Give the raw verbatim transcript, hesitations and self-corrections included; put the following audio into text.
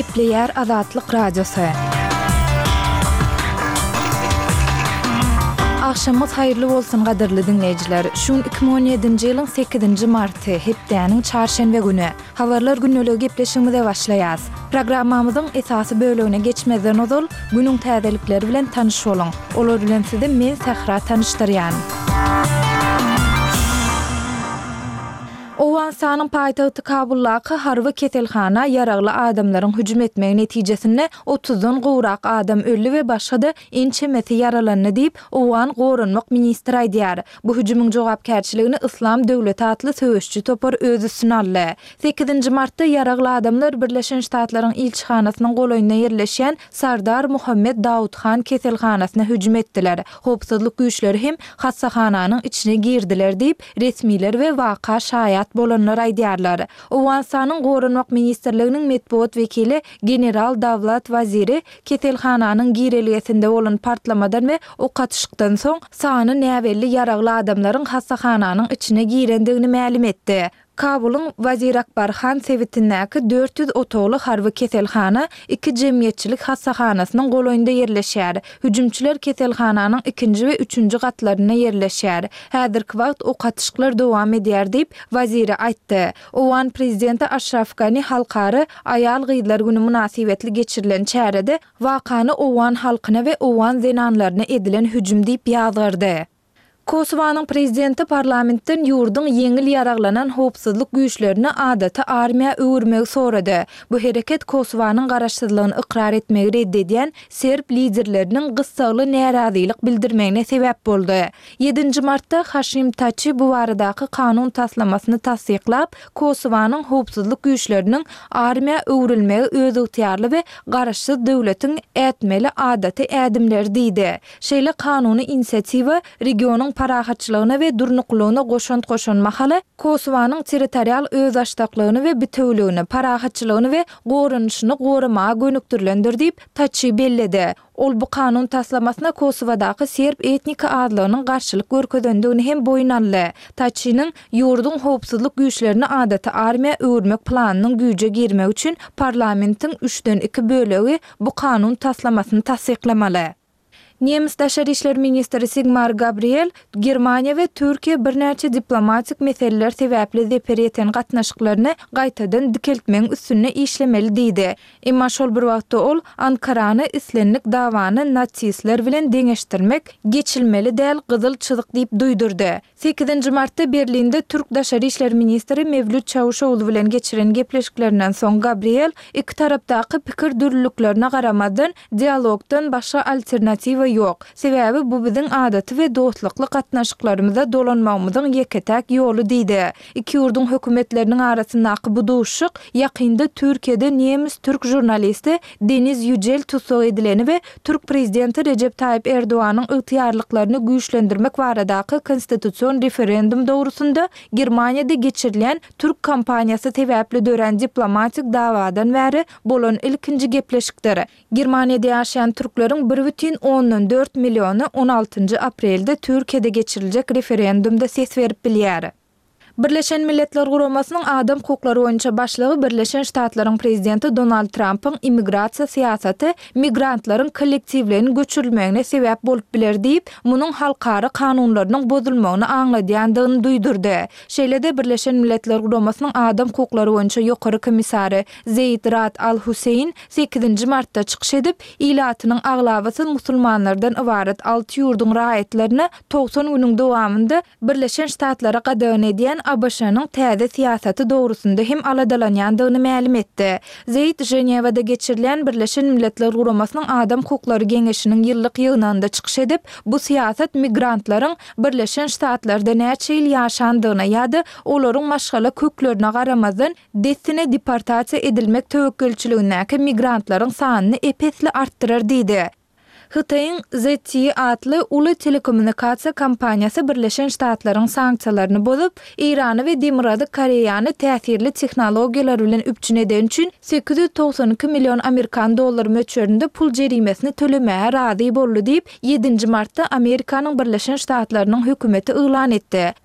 Gepleýär Azatlyk Radiosy. Agşamyňyz haýyrly bolsun gadyrly diňleýjiler. Şu gün iki müň on ýedinji ýylyň sekizinji marty, hepdäniň çarşenbe güni. Habarlar gündeligi gepleşigimize başlaýas. Programmamyzyň esasy bölegine geçmezden ozal, günüň täzelikleri bilen tanyş boluň. Olar bilen sizi men Sähra tanyşdyrýan. Owganystanyň paýtagty Kabuldaky harby keselhana ýaragly adamlaryň hüjüm etmegi netijesinde otuzdan gowrak adam öldi we başga-da ençemesi ýaralandy diýip, owgan goranmak ministri aýdýar. Bu hüjümiň jogapkärçiligini Yslam döwleti atly söweşiji topar öz üstüne aldy. Sekizinji martda ýaragly adamlar Birleşen Ştatlaryň ilçihanasynyň golaýynda ýerleşýän Sardar Muhammed Dawud Han keselhanasyna hüjüm etdiler. Howpsuzlyk güýçleri hem hassahananyň içine girdiler diýip, resmiler we waka şaýat bolanlar aýdýarlar. Owganystanyň Goranmak ministrliginiň metbugat wekili general Dawlat Waziri keselhananyň girelgesinde bolan partlamadan we ok atyşykdan soň sany näbelli ýaragly adamlaryň hassahananyň içine girendigini mälim etdi. Kabulyň Wazirakbarhan sebitindäki dört ýüz otagly harby keselhana iki jemgyýetçilik hassahanasynyň golaýynda ýerleşýär. Hüjümçiler keselhananyň ikinji we üçünji gatlarynda ýerleşýär. Häzirki wagt ok atyşyklar dowam edýär diýip, Waziri aýtdy. Owgan prezidenti Aşraf Gani Halkara aýal-gyzlar güni mynasybetli geçirilen çärede wakany owgan halkyna we owgan zenanlaryna edilen hüjüm diýip ýazgardy. Kosowanyň prezidenti parlamentden ýurduň ýeňil ýaraglanan howpsuzlyk güýçlerini adaty armiýa öwürmegi sorady. Bu hereket Kosowanyň garaşsyzlygyny ykrar etmegi red edýän serb liderleriniň gyssagly närazylyk bildirmegine sebäp boldy. Ýedinji martda Haşim Taçi bu baradaky kanun taslamasyny tassyklap, Kosowanyň howpsuzlyk güýçleriniň armiýa öwrülmegi özygtyýarly we garaşsyz döwletiň ätmeli adaty ädimleri diýdi. Şeýle kanuny inisiatiwa regionyň parahatçylygyna we durnuklylygyna goşant goşan mahaly Kosowanyň territorial özbaşdaklygyny we bitewüligini, parahatçylygyny we goranyşyny goramaga gönükdirilendir diýip, Taçi belledi. Ol bu kanun taslamasyna Kosowadaky serb etnik azlygynyň garşylyk görkezendigini hem boýun aldy. Taçiniň ýurduň howpsuzlyk güýçlerini adaty armiýa öwürmek planynyň güýje girmegi üçin parlamentiň üçden iki bölegi bu kanun taslamasyny tassyklamaly. Nemes daşary işler ministri Sigmar Gabriel Germaniýa we Türkiýe birnäçe diplomatik meseleler sebäpli zeper ýeten gatnaşyklaryny gaýtadan dikeltmegiň üstünde işlemeli diýdi. Emma şol bir wagtda ol Ankarany islendik dawany nasistler bilen deňeşdirmek geçilmeli däl gyzyl çyzyk diýip duýdurdy. Sekizinji martda Berlinde türk daşary işler ministri Mewlüt Çawuşoglu bilen geçiren gepleşiklerinden soň Gabriel iki tarapdaky pikir dürlüliklerine garamazdan dialogdan başga alternatiwa ýok. Sebäbi bu biziň adaty we dostlukly gatnaşyklarymyza dolanmagymyzyň ýeke-täk ýoly diýdi. Iki ýurduň hökümetleriniň arasyndaky bu duşuşyk ýakynda Türkiýede nemes-türk žurnalisti Deniz Ýüjel tussag edileni we türk prezidenti Rejep Taýyp Erdoganyň ygtyýarlyklaryny güýçlendirmek baradaky konstitusion referendum dogrusynda Germaniýada geçirilýän türk kampaniýasy sebäpli dörän diplomatik dawadan bäri bolan ilkinji gepleşikdir. Germaniýada ýaşaýan türkleriň bir bütin ondan dört milliony on altynjy aprelde Türkiýede geçiriljek referendumda ses berip bilýär. Birleşen Milletler Guramasynyň adam hukuklary boýunça başlygy Birleşen Ştatlaryň prezidenti Donald Trampyň immigrasiýa syýasaty migrantlaryň kollektiwleýin göçürilmegine sebäp bolup biler diýip, munuň halkara kanunlarynyň bozulmagyny aňladýandygyny duýdurdy. Şeýle-de Birleşen Milletler Guramasynyň adam hukuklary boýunça ýokary komissary Zeýd Rad Al-Huseýn sekizinji martda çykyş edip, ilatynyň aglabasy musulmanlardan ybarat alty ýurduň raýatlaryna togsan günüň dowamynda Birleşen Ştatlara gadagan edýän A B Ş-nyň täze syýasaty dogrusynda hem aladalanýandygyny mälim etdi. Zeýd Ženewada geçirilýän Birleşen Milletler Guramasynyň Adam hukuklary geňeşiniň ýyllyk ýygnagynda çykyş edip, bu syýasat migrantlaryň Birleşen Ştatlarda näçe ýyl ýaşandygyna ýa-da olaryň maşgala köklerine garamazdan dessine deportasiýa edilmek töwekgelçiligindäki migrantlaryň sanyny ep-esli artdyrar diýdi. Hytaýyň Z T E atly uly telekommunikasiýa kompaniýasy Birleşen Ştatlaryň sanksiýalaryny bozup, Eýrany we Demirgazyk Koreýany täsirli tehnologiýalar bilen üpjün eden üçin sekiz ýüz togsan iki million amerikan dollary möçberinde pul jerimesini tölemäge razy boldy diýip, ýedinji martda Amerikanyň Birleşen Ştatlarynyň hökümeti yglan etdi.